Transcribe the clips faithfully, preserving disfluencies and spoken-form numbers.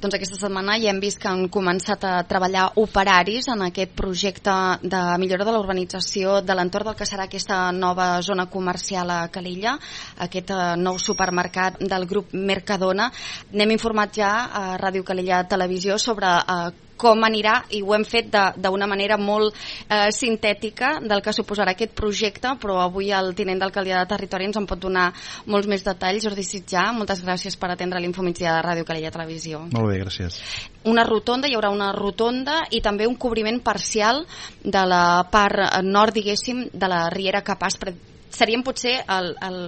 Doncs aquesta setmana ja hem vist que han començat a treballar operaris en aquest projecte de millora de la urbanització de l'entorn del que serà aquesta nova zona comercial a Calella, aquest nou supermercat del grup Mercadona. N'hem informat ja a Ràdio Calella Televisió sobre eh, com anirà, i ho hem fet d'una manera molt eh, sintètica del que suposarà aquest projecte, però avui el tinent d'alcaldia de Territori ens en pot donar molts més detalls. Jordi Sitjà, moltes gràcies per atendre l'Infomigdia de Ràdio Calella Televisió. Molt bé, gràcies. Una rotonda, hi haurà una rotonda i també un cobriment parcial de la part nord, diguéssim, de la Riera Capaspre. Serien potser el... el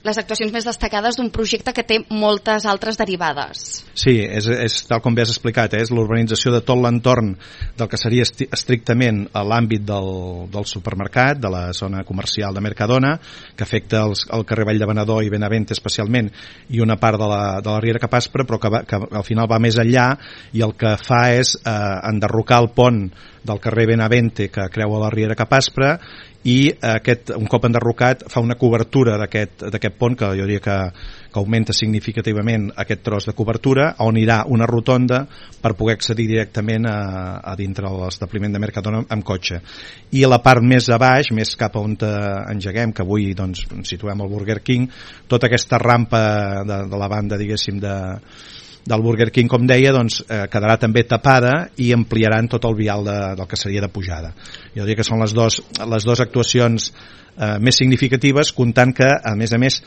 les actuacions més destacades d'un projecte que té moltes altres derivades. Sí, és, és tal com bé has explicat, eh? És l'urbanització de tot l'entorn del que seria esti- estrictament a l'àmbit del, del supermercat, de la zona comercial de Mercadona, que afecta els, el carrer Vall de Venedor i Benavente especialment, i una part de la, de la Riera Capaspre, però que, va, que al final va més enllà i el que fa és eh, enderrocar el pont del carrer Benavente que creua la Riera Capaspre, i aquest, un cop enderrocat, fa una cobertura d'aquest d'aquest pont que jo diria que, que augmenta significativament aquest tros de cobertura, on irà una rotonda per poder accedir directament a, a dintre de l'establiment de Mercadona amb cotxe. I a la part més a baix, més cap a on engeguem, que avui doncs, situem el Burger King, tota aquesta rampa de, de la banda, diguéssim, de del Burger King, com deia, doncs, eh, quedarà també tapada i ampliaran tot el vial de, del que seria de pujada. Jo diria que són les dues les dues actuacions eh, més significatives, comptant que, a més a més,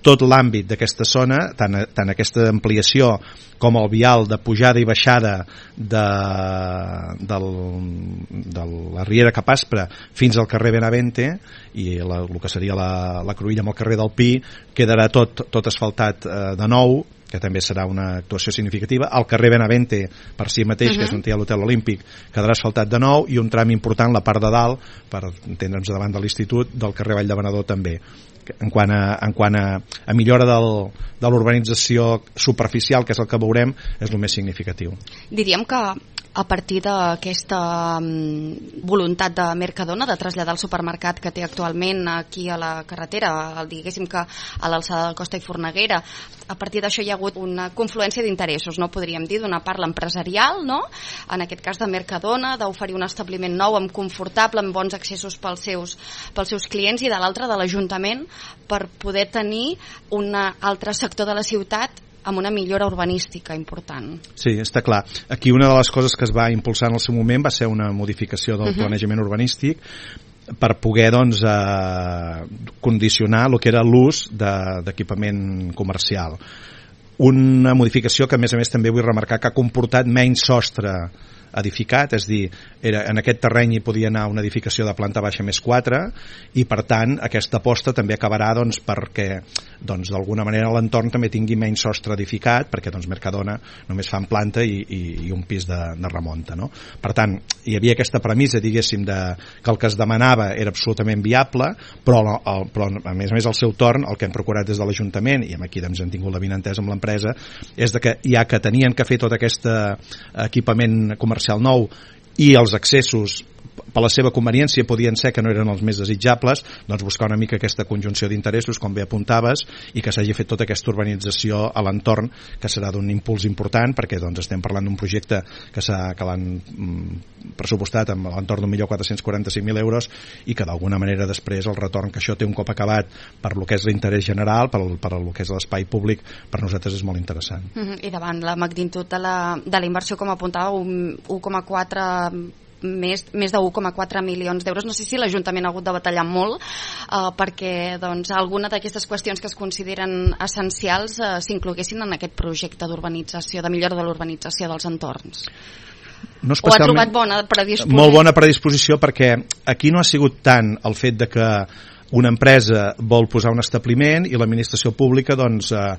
tot l'àmbit d'aquesta zona, tant, tant aquesta ampliació com el vial de pujada i baixada de, del, de la Riera Capaspre fins al carrer Benavente i la, el que seria la, la cruïlla amb el carrer del Pi, quedarà tot, tot asfaltat eh, de nou, que també serà una actuació significativa. El carrer Benavente, per si mateix, uh-huh. que és on hi ha l'Hotel Olímpic, quedarà asfaltat de nou, i un tram important, la part de dalt, per entendre'ns davant de l'Institut, del carrer Vall de Venedor també. En quant a, en quant a, a millora del, de l'urbanització superficial, que és el que veurem, és el més significatiu. Diríem que a partir d'aquesta voluntat de Mercadona de traslladar el supermercat que té actualment aquí a la carretera, diguéssim que a l'alçada del Costa i Forneguera, a partir d'això hi ha hagut una confluència d'interessos, no podríem dir, d'una part l'empresarial, no? En aquest cas de Mercadona, d'oferir un establiment nou, amb confortable, amb bons accessos pels seus, pels seus clients, i de l'altre de l'Ajuntament, per poder tenir un altre sector de la ciutat amb una millora urbanística important. Sí, està clar. Aquí una de les coses que es va impulsar en el seu moment va ser una modificació del uh-huh. planejament urbanístic per poder doncs, eh, condicionar el que era l'ús de, d'equipament comercial. Una modificació que, a més a més, també vull remarcar que ha comportat menys sostre edificat, és dir, era, en aquest terreny hi podia anar una edificació de planta baixa més quatre, i per tant aquesta aposta també acabarà doncs, perquè doncs, d'alguna manera l'entorn també tingui menys sostre edificat, perquè doncs, Mercadona només fa en planta i, i, i un pis de, de remunta, no? Per tant, hi havia aquesta premissa, diguéssim, de, que el que es demanava era absolutament viable, però, el, però a més a més al seu torn el que hem procurat des de l'Ajuntament, i aquí doncs, hem tingut la vinentesa amb l'empresa, és de que ja que tenien que fer tot aquest equipament comercial nou i els accessos per la seva conveniència podien ser que no eren els més desitjables, doncs buscar una mica aquesta conjunció d'interessos, com bé apuntaves, i que s'hagi fet tota aquesta urbanització a l'entorn, que serà d'un impuls important, perquè doncs, estem parlant d'un projecte que, s'ha, que l'han mm, pressupostat amb l'entorn d'un milió quatre-cents quaranta-cinc mil euros, i que d'alguna manera després el retorn que això té un cop acabat per lo que és l'interès general, per, per lo que és l'espai públic, per nosaltres és molt interessant. Mm-hmm. I davant la magnitud de la, de la inversió, com apuntava, un u coma quatre més, més de u coma quatre milions d'euros. No sé si l'Ajuntament ha hagut de batallar molt eh, perquè doncs, alguna d'aquestes qüestions que es consideren essencials eh, s'incloguessin en aquest projecte d'urbanització, de millora de l'urbanització dels entorns. No o ha trobat bona predisposició? Molt bona predisposició, perquè aquí no ha sigut tant el fet de que una empresa vol posar un establiment i l'administració pública, doncs, eh,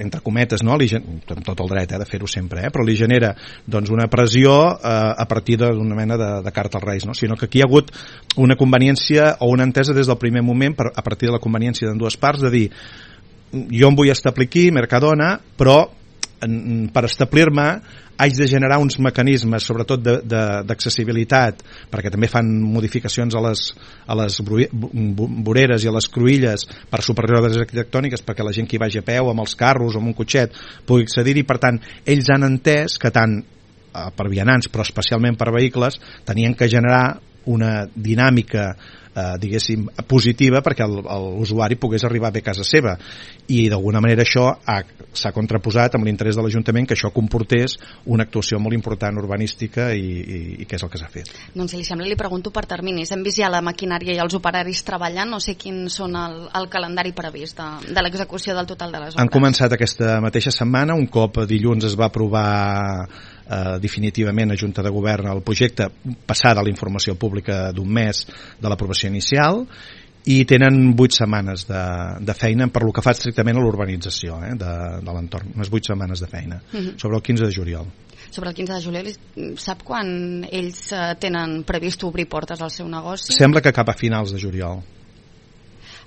entre cometes, no? Li, amb tot el dret eh, de fer-ho sempre, eh, però li genera doncs, una pressió eh, a partir d'una mena de, de carta als Reis, no? Sinó que aquí hi ha hagut una conveniència o una entesa des del primer moment, per, a partir de la conveniència d'en dues parts, de dir, jo em vull establir aquí, Mercadona, però per establir-me haig de generar uns mecanismes, sobretot d'accessibilitat, perquè també fan modificacions a les, a les voreres i a les cruïlles per superioridades arquitectòniques, perquè la gent que hi vagi a peu, amb els carros o amb un cotxet, pugui accedir-hi. Per tant, ells han entès que tant per vianants, però especialment per vehicles, tenien que generar una dinàmica eh, diguéssim positiva perquè l'usuari pogués arribar bé a casa seva, i d'alguna manera això s'ha contraposat amb l'interès de l'Ajuntament que això comportés una actuació molt important urbanística i, i, i què és el que s'ha fet. Doncs si li sembla li pregunto per terminis. Hem vist ja la maquinària i els operaris treballant, no sé quins són el, el calendari previst de, de l'execució del total de les obres. Han començat aquesta mateixa setmana, un cop dilluns es va aprovar eh, definitivament a Junta de Govern el projecte, passada la informació pública d'un mes de l'aprovació inicial, i tenen vuit setmanes de, de feina per lo que fa estrictament a l'urbanització eh, de, de l'entorn, unes vuit setmanes de feina, uh-huh. sobre el quinze de juliol. Sobre el quinze de juliol, sap quan ells tenen previst obrir portes al seu negoci? Sembla que cap a finals de juliol.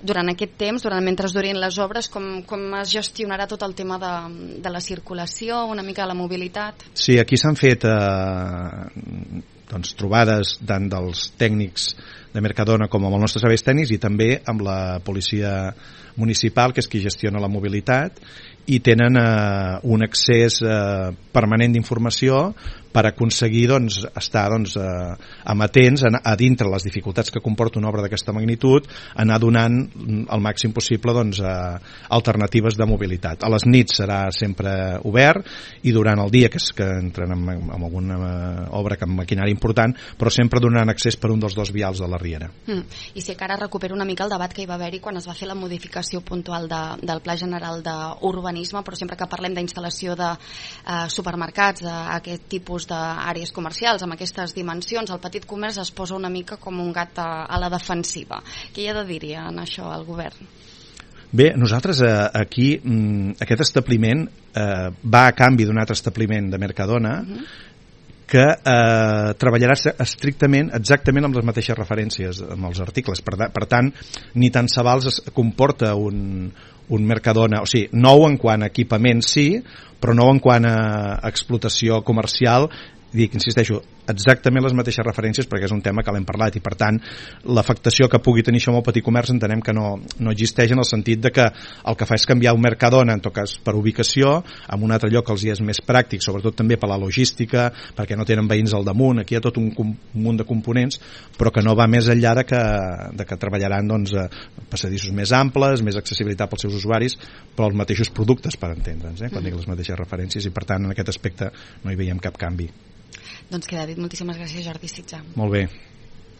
Durant aquest temps, durant mentre es durin les obres, com, com es gestionarà tot el tema de, de la circulació, una mica de la mobilitat? Sí, aquí s'han fet eh, doncs, trobades tant dels tècnics de Mercadona com amb els nostres serveis tècnics i també amb la policia municipal, que és qui gestiona la mobilitat, i tenen eh, un accés eh, permanent d'informació per aconseguir doncs, estar doncs, eh, amatents a, a dintre les dificultats que comporta una obra d'aquesta magnitud, anar donant el màxim possible doncs, eh, alternatives de mobilitat. A les nits serà sempre obert i durant el dia, que és que entren en, en alguna eh, obra amb maquinària important, però sempre donant accés per un dels dos vials de la Riera. Mm. I si encara recupero una mica el debat que hi va haver-hi quan es va fer la modificació puntual de, del Pla General d'Urbanisme, però sempre que parlem d'instal·lació de eh, supermercats, d'aquest tipus d'àrees comercials amb aquestes dimensions, el petit comerç es posa una mica com un gat a, a la defensiva. Què hi ha de dir en això al govern? Bé, nosaltres eh, aquí aquest establiment eh, va a canvi d'un altre establiment de Mercadona uh-huh. que eh, treballarà estrictament exactament amb les mateixes referències amb els articles, per, per tant ni tant se val es comporta un, un Mercadona, o sigui, nou en quant a equipament sí, però no en quant a explotació comercial, dic, insisteixo, exactament les mateixes referències perquè és un tema que l'hem parlat i per tant l'afectació que pugui tenir això amb el petit comerç entenem que no, no existeix en el sentit de que el que fa és canviar un Mercadona en tot cas per ubicació en un altre lloc que els hi és més pràctic, sobretot també per la logística, perquè no tenen veïns al damunt, aquí hi ha tot un, un munt de components però que no va més enllà de que, de que treballaran doncs, passadissos més amples, més accessibilitat pels seus usuaris, però els mateixos productes per entendre'ns, eh, quan dic les mateixes referències i per tant en aquest aspecte no hi veiem cap canvi. Doncs queda dit. Moltíssimes gràcies, Jordi Sitjar. Molt bé.